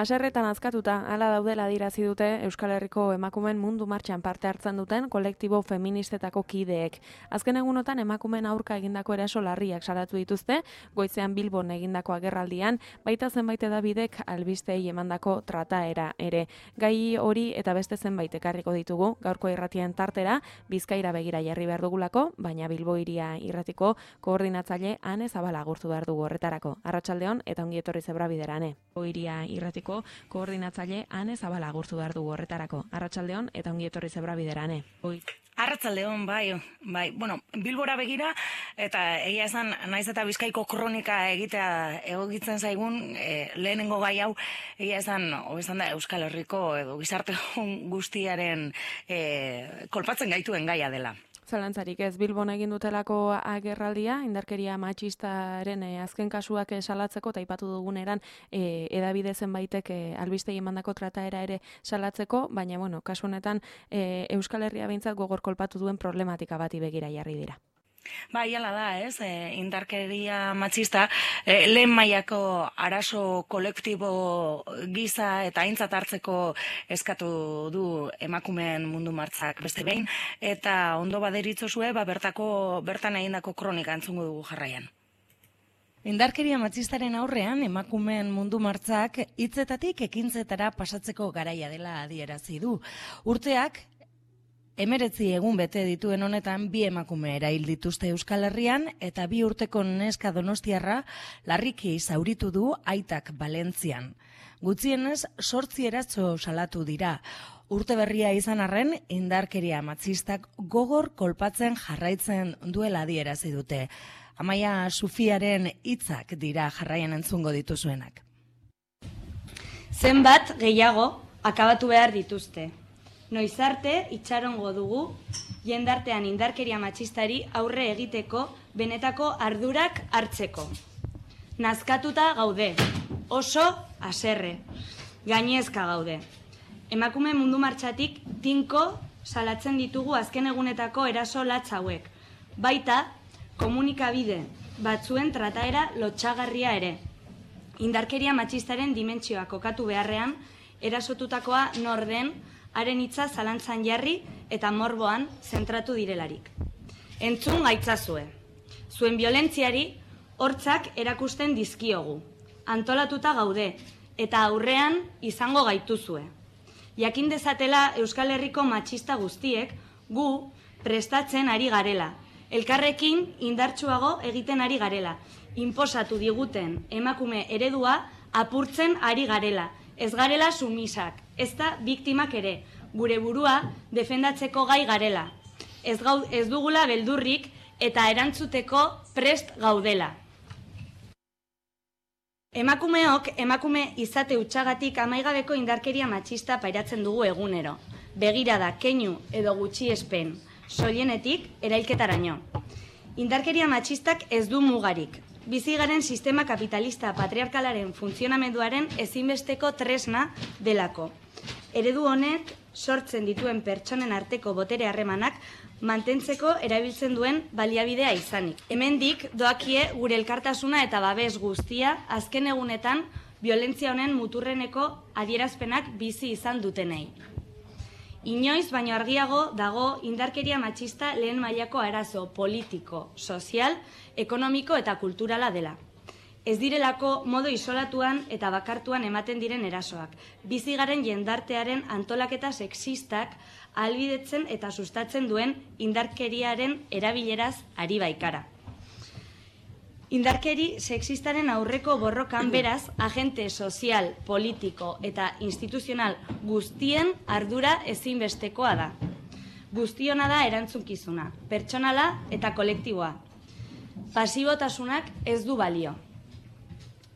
Haserretan azkatuta, hala daudela adierazi dute Euskal Herriko emakumeen mundu martxan parte hartzen duten kolektibo feministetako kideek. Azken egunotan emakumeen aurka egindako eraso larriak salatu dituzte, goizean Bilbon egindako agerraldian, baita zenbait hedabidek albistei emandako trataera ere. Gai hori eta beste zenbait ekarriko ditugu, gaurko irratien tartera, Bizkaira begira jarri behar dugulako, baina Bilbo hiria irratiko koordinatzaile Ane Zabala agurtu behar dugu horretarako. Arratsaldeon eta ongi etorri Zebrabiderane. Bilbo hiria irratiko koordinatzaile Ane Zabala agurtu behar dugu horretarako. Arratsaldeon eta ongi etorri Zebrabiderane. Arratsaldeon, bai. Bueno, Bilbora begira, eta egia esan, naiz eta Bizkaiko kronika egitea egokitzen zaigun, lehenengo gai hau, egia esan, hobesan da Euskal Herriko edo gizarte guztiaren kolpatzen gaituen gaia dela. Zalantzarik ez, Bilbon egin dutelako agerraldia, indarkeria matxistaren azken kasuak salatzeko, eta aipatu duguneran hedabide zenbaitek albistei emandako trataera ere salatzeko, baina, bueno, kasu honetan Euskal Herria behintzat gogor kolpatu duen problematika bati begira jarri dira. Bai, hala da, ez? Indarkeria matxista, lehen mailako arazo kolektibo gisa eta aintzat hartzeko eskatu du emakumeen mundu martzak beste behin, eta ondo baderitzozue, bertan egindako kronika entzungo dugu jarraian. Indarkeria matxistaren aurrean emakumeen mundu martzak hitzetatik ekintzetara pasatzeko garaia dela adierazi du. Urteak 19 egun bete dituen honetan 2 emakume erail dituzte Euskal Herrian eta 2 urteko neska donostiarra larriki zauritu du aitak Valentzian. Gutxienez 8 eraso salatu dira. Urte berria izan arren, indarkeria matxistak gogor kolpatzen jarraitzen duela adierazi dute. Amaia Sufiaren hitzak dira jarraian entzungo dituzuenak. Zenbat gehiago akabatu behar dituzte. Noiz arte itxarongo dugu jendartean indarkeria matxistari aurre egiteko benetako ardurak hartzeko. Nazkatuta gaude, oso haserre, gainezka gaude. Emakume mundu martxatik tinko salatzen ditugu azken egunetako eraso latz hauek. Baita komunikabide batzuen trataera lotsagarria ere. Indarkeria matxistaren dimentsioa kokatu beharrean, erasotutakoa nor den, haren hitza zalantzan jarri eta morboan zentratu direlarik. Entzun gaitzazue. Zuen biolentziari hortzak erakusten dizkiogu. Antolatuta gaude eta aurrean izango gaituzue. Jakin dezatela Euskal Herriko matxista guztiek gu prestatzen ari garela. Elkarrekin indartsuago egiten ari garela. Inposatu diguten emakume eredua apurtzen ari garela. Ez garela sumisak, ez da biktimak ere, gure burua defendatzeko gai garela. Ez dugula beldurrik eta erantzuteko prest gaudela. Emakumeok emakume izate hutsagatik amaigabeko indarkeria matxista pairatzen dugu egunero. Begirada, keinu edo gutxiespen, soilenetik erailketaraino. Indarkeria matxistak ez du mugarik. Bizigaren sistema kapitalista patriarkalaren funtzionamenduaren ezinbesteko tresna delako. Eredu honek sortzen dituen pertsonen arteko botere harremanak mantentzeko erabiltzen duen baliabidea izanik. Hemendik doakie gure elkartasuna eta babes guztia azken egunetan biolentzia honen muturreneko adierazpenak bizi izan dutenei. Inoiz baino argiago dago indarkeria matxista lehen mailako arazo politiko, sozial, ekonomiko eta kulturala dela. Ez direlako modu isolatuan eta bakartuan ematen diren erasoak. Bizigaren jendartearen antolaketa sexistak ahalbidetzen eta sustatzen duen indarkeriaren erabileraz ari baikara. Indarkeri sexistaren aurreko borrokan beraz, agente sozial, politiko eta instituzional guztien ardura ezinbestekoa da. Guztiona da erantzunkizuna, pertsonala eta kolektiboa. Pasibotasunak ez du balio.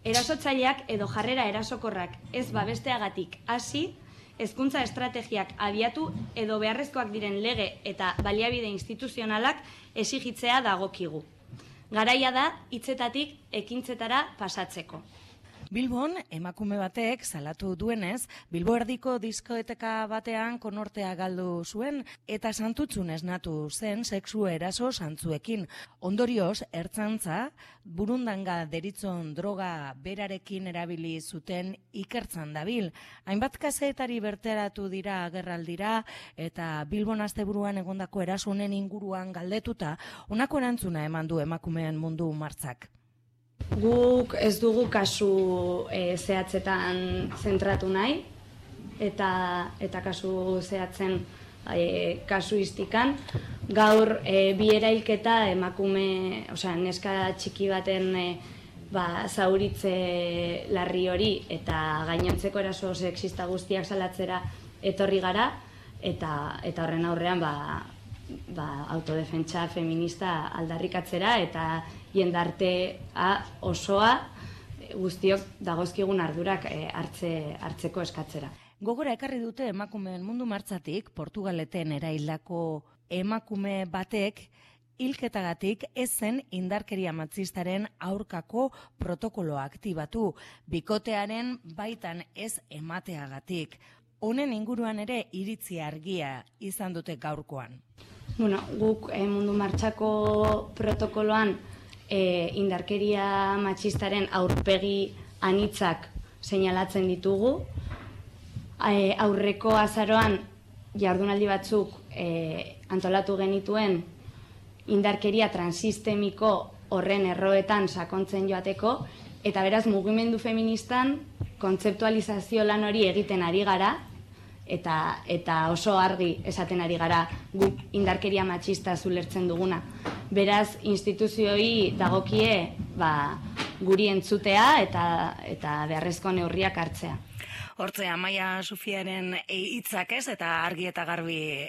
Erasotzaileak edo jarrera erasokorrak ez babesteagatik hasi, hezkuntza estrategiak abiatu edo beharrezkoak diren lege eta baliabide instituzionalak exigitzea dagokigu. Garaia da hitzetatik ekintzetara pasatzeko. Bilbon, emakume batek salatu duenez, Bilbo erdiko diskoeteka batean konortea galdu zuen eta santutzun esnatu zen sexu eraso santzuekin. Ondorioz, ertzantza, burundanga deritzon droga berarekin erabili zuten ikertzan dabil. Hainbat kazetari berteratu dira agerraldira eta Bilbon asteburuan egondako eraso honen inguruan galdetuta, honako erantzuna eman du emakumeen mundu martzak. Guk ez dugu kasu zehatzetan zentratu nahi, eta kasu zehatzen kasuistikan. Gaur bi erailketa emakume, neska txiki baten zauritze larri hori eta gainontzeko eraso sexista guztiak salatzera etorri gara, eta horren aurrean autodefentsa feminista aldarrikatzera eta jendartea osoa guztiok dagozkigun ardurak hartzeko eskatzera. Gogora ekarri dute emakumeen mundu martzatik, Portugaleten eraildako emakume batek hilketagatik ez zen indarkeria matxistaren aurkako protokoloa aktibatu, bikotearen baitan ez emateagatik. Honen inguruan ere iritzi argia izan dute gaurkoan. Guk mundu martxako protokoloan indarkeria matxistaren aurpegi anitzak seinalatzen ditugu. Aurreko azaroan jardunaldi batzuk antolatu genituen indarkeria transistemiko horren erroetan sakontzen joateko, eta beraz mugimendu feministan kontzeptualizazio lan hori egiten ari gara, eta oso argi esaten ari gara guk indarkeria matxista zulertzen duguna. Beraz, instituzioi dagokie guri entzutea eta beharrezko neurriak hartzea. Hortze, Amaia Sufiaren hitzak ez, eta argi eta garbi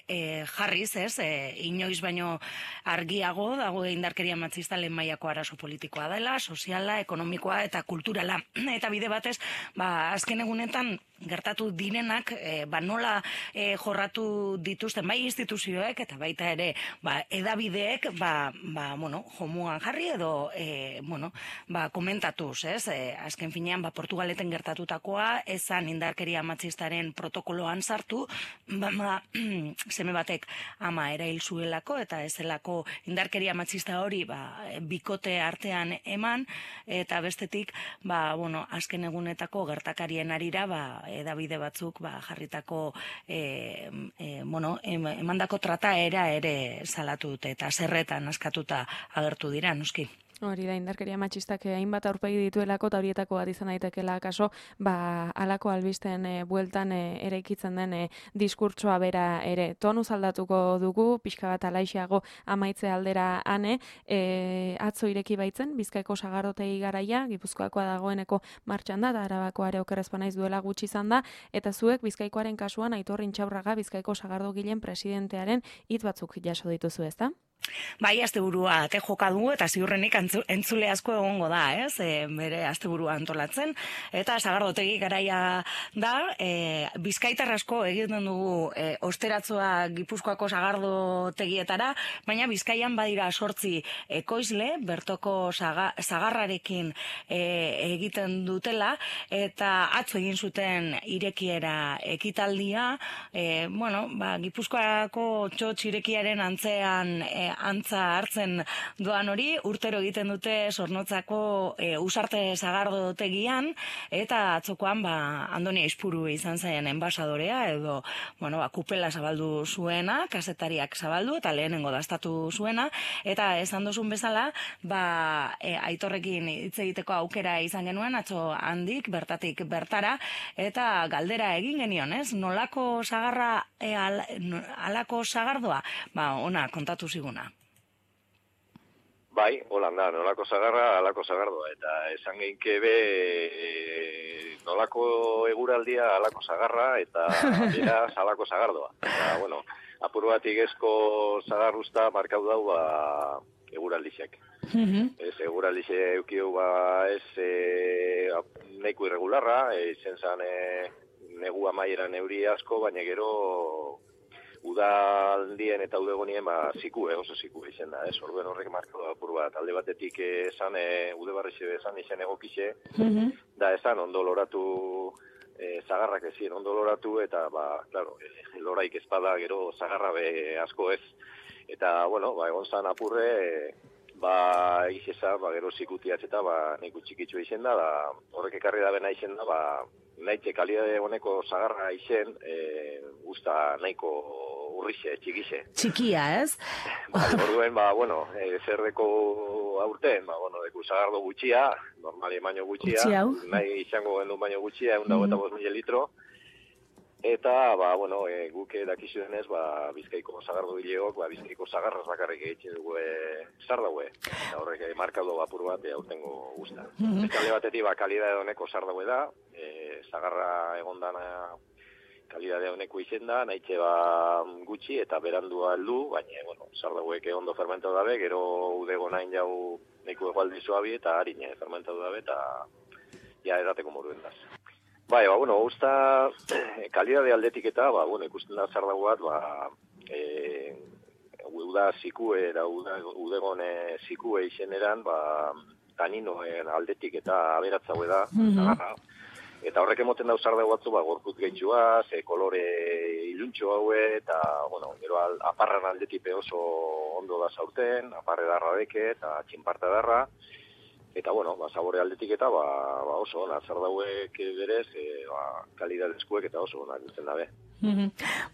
jarriz ez, inoiz baino argiago dago indarkeria matxista lehen mailako arazo politikoa dela, soziala, ekonomikoa eta kulturala. Eta bide batez, azken egunetan gertatu direnak, nola jorratu dituzten bai instituzioek eta baita ere edabideek jomuan jarri edo komentatuz, ez? Azken finean, Portugaleten gertatutakoa ezan indarkeria matxistaren protokoloan sartu, seme batek ama erail zuelako eta ezelako indarkeria matxista hori bikote artean eman, eta bestetik azken egunetako gertakarien arira edabide batzuk jarritako emandako trataera ere salatu dute eta zerretan askatuta agertu dira, noski. Hori da, indarkeria matxistak hainbat aurpegi dituelako eta horietako bat izan daitekeela kaso, halako albisten bueltan eraikitzen den diskurtsoa bera ere. Tonuz aldatuko dugu, pixka bat alaixeago amaitze aldera ane, atzo ireki baitzen, Bizkaiko sagardotegi garaia, Gipuzkoakoa dagoeneko martxan da, eta Arabakoa ere okerrezpa naiz duela gutxi izan da, eta zuek Bizkaikoaren kasuan Aitor Intxaurraga Bizkaiko sagardogileen presidentearen hitz batzuk jaso dituzu, ezta? Bai, asteburua ate joka du eta ziurrenik entzule asko egongo da, ez? Bere asteburua antolatzen eta sagardotegi garaia da, Bizkaitar asko egiten dugu osteratzoa Gipuzkoako sagardotegietara, baina Bizkaian badira 8 ekoizle bertoko sagarrarekin egiten dutela eta atzo egin zuten irekiera ekitaldia, Gipuzkoako txotx irekiaren antzean antza hartzen doan hori, urtero egiten dute Zornotzako Usarte sagardotegian, eta atzokoan Andoni Aizpuru izan zaien enbasadorea, edo kupela zabaldu zuena, kazetariak zabaldu, eta lehenengo dastatu zuena, eta esan dozun bezala, Aitorrekin hitz egiteko aukera izan genuen, atzo handik, bertatik bertara, eta galdera egin genion, ez? Nolako sagarra, alako sagardoa? Ona, kontatu ziguna. Bai, holanda, nolako zagarra, alako zagardoa, eta esan geinke be nolako eguraldia alako zagarra, eta beraz alako zagardoa. Eta, apur bat igezko zagarruzta markau dau eguraldixek. Ez, eguraldixe eukiu nahiko irregularra, izen zan negu amaieran euri asko, baina gero udaldien eta udegonien zikue, oso zikue izen da, orduen horrek marko apur bat, alde batetik esan, udebarrixe esan izen egokixe, da esan ondo loratu, zagarrak ezin ondo loratu, eta, claro, loraik ezpada gero zagarra be asko ez, eta, bueno, egon zan apurre, izesa, gero zikutiatz eta, neko txikitxo izen da, horrek ekarri da bena izen da, nahitxe kalidade honeko zagarra izen, usta nahiko urrixe, txikixe. Txikia, ez? Orduen, zerdeko aurten, deku zagardo gutxia, normali baino gutxia, nahi izango gendu baino gutxia, 125.000 litro, eta, guk dakizu denez, Bizkaiko zagardo gileok, Bizkaiko zagarraz bakarrik egiten dugu zar daue, eta horrek markado apur bat aurtengo guzta. Alde batetik, kalidade honeko zar daue da, zagarra egondana kalidade honeko izen da, nahitxe gutxi eta berandua heldu, baina, zar dauek ondo fermentatu dabe, gero udego nahin jau neko egualdi zoabi eta harine fermentatu dabe, eta ja edateko moduen daz. Usta kalidade aldetik eta, ikusten da zar dago bat, uda zikue, udegon zikue izeneran, taninoen aldetik eta aberatzaue da, eta horrek emoten dauz zar dago batzu, gorput gehitxua, kolore iluntxo haue, eta, gero aparran aldetik oso ondo da zaurten, aparre darra deke, eta txinparta darra, eta, sabore aldetik eta, oso ona, zar dauek berez, kalidadezkuek eta oso ona dutzen dabe.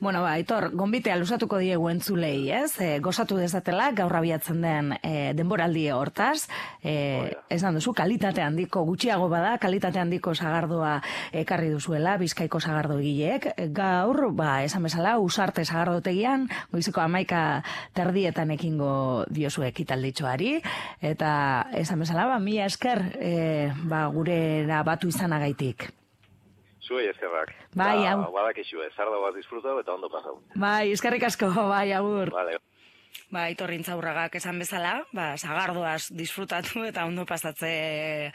Aitor, gonbitea luzatuko diegu entzulei, ez? Gozatu dezatela, gaur abiatzen den denboraldi hortaz, esan duzu, kalitate handiko, gutxiago bada, kalitate handiko sagardoa ekarri duzuela, Bizkaiko sagardo egileek. Gaur, esan bezala, Usarte sagardotegian, goizeko 11:00 ekingo diozu ekitalditxoari, eta esan bezala, mila esker, gurera batu izanagaitik. Zuei eskerrak. Badakizue, zarda bat disfrutau eta ondo pasau. Eskerrik asko, agur. Vale. Aitor Intzaurragak esan bezala, sagardoaz disfrutatu eta ondo pasatze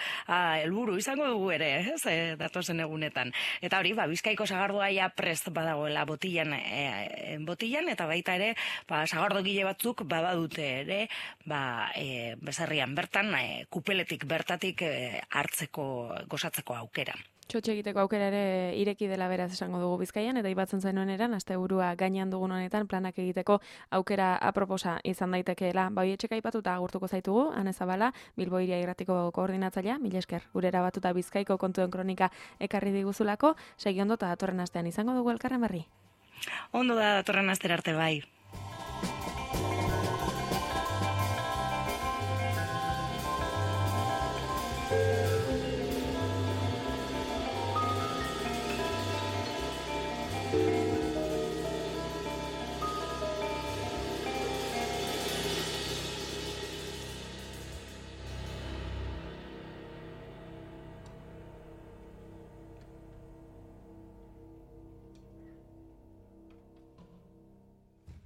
helburu izango dugu ere, ez, datozen egunetan. Eta hori, Bizkaiko sagardoa ja prest badagoela botilan, eta baita ere, sagardo gile batzuk badute ere, bezarrian bertan, kupeletik bertatik hartzeko, gozatzeko aukera. Txotxe egiteko aukera ere ireki dela beraz esango dugu Bizkaian, eta ibatzen zainoen eran, asteburua gainean dugun honetan planak egiteko aukera aproposa izan daitekeela. Hoietxeka aipatuta agurtuko zaitugu, Ane Zabala, Bilbo Hiria Irratiko koordinatzailea, mila esker, gurera batuta Bizkaiko kontuen kronika ekarri diguzulako, segi ondo eta datorren astean izango dugu elkarren berri. Ondo da datorren astera arte bai. Thank you.